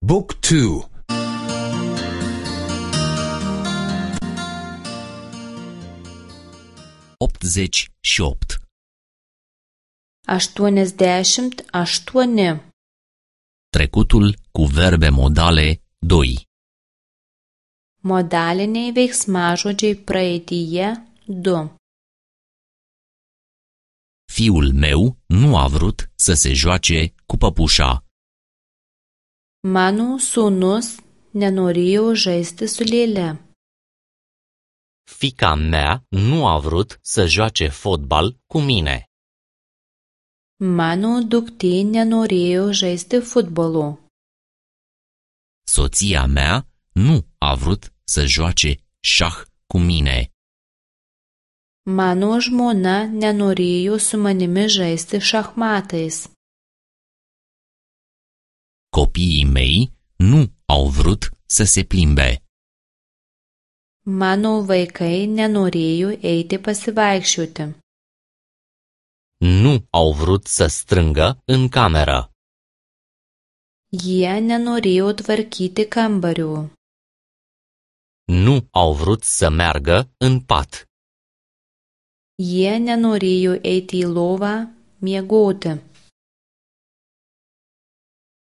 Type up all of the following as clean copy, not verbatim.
Book 2. 88. 88. Trecutul cu verbe modale 2. Modaliniai veiksmažodžiai praeityje 2. Fiul meu nu a vrut să se joace cu păpușa. Mano sūnus nenorėjo žaisti su lėle. Fiica mea nu a vrut să joace fotbal cu mine. Mano duktė nenorėjo žaisti futbolu. Soția mea nu a vrut să joace șah cu mine. Mano žmona nenorėjo su manimi žaisti šachmatais. Copiii mei nu au vrut să se plimbe. Mano vaikai nenorėjo eiti pasivaikščioti. Nu au vrut să strângă în cameră. Jie nenorėjo tvarkyti kambarių. Nu au vrut să meargă în pat. Jie nenorėjo eiti į lovą miegoti.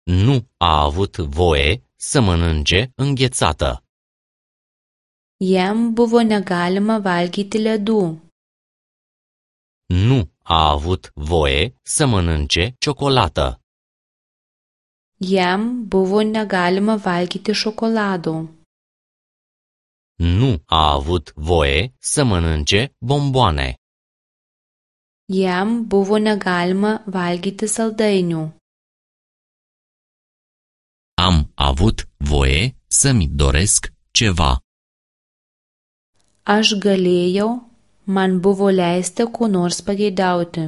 Nu a avut voie să mănânce înghețată. Jam buvo negalima valgyti ledų. Nu a avut voie să mănânce ciocolată. Jam buvo negalima valgyti šokolado. Nu a avut voie să mănânce bomboane. Jam buvo negalima valgyti saldainių. Am avut voie să-mi doresc ceva. Aš galėjau, man buvo leista ko nors pageidauti.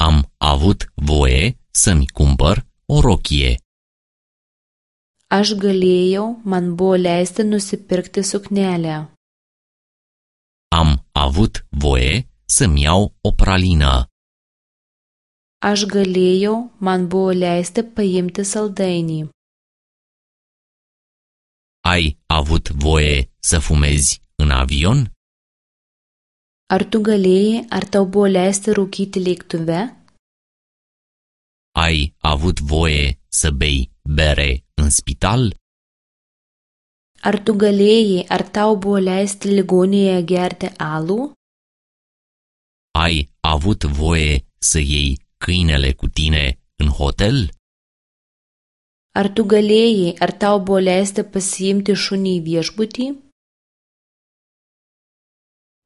Am avut voie să-mi cumpăr o rochie. Aš galėjau, man buvo leista nusipirkti suknelę. Am avut voie să-mi iau o pralină. Aš galėjau, man buvo leista paimti saldainį. Ai avut voie să fumezi în avion? Ar tu galėjai, ar tau buvo leista rūkyti lėktuve? Ai avut voie să bei bere în spital? Ar tu galėjai, ar tau buvo leista ligoninėje gerti alų? Ai avut voie să iei câinele cu tine în hotel? Ar tu galėjai, ar tau buvo leista pasiimti šunį į viešbutį?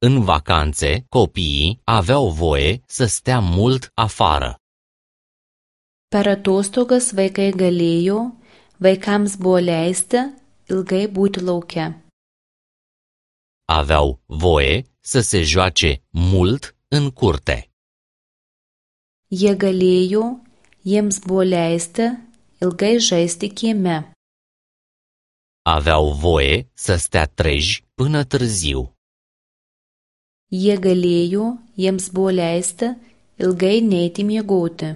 În vacanțe, copiii aveau voie să stea mult afară. Per atostogas vaikai galėjo, vaikams buvo leista ilgai būti lauke. Aveau voie să se joace mult în curte. Jie galėjo, jiems buvo leista ilgai žaisti kieme. Aveau voie să stea treji până târziu. Jie galėjo, jiems buvo leista ilgai neiti miegoti.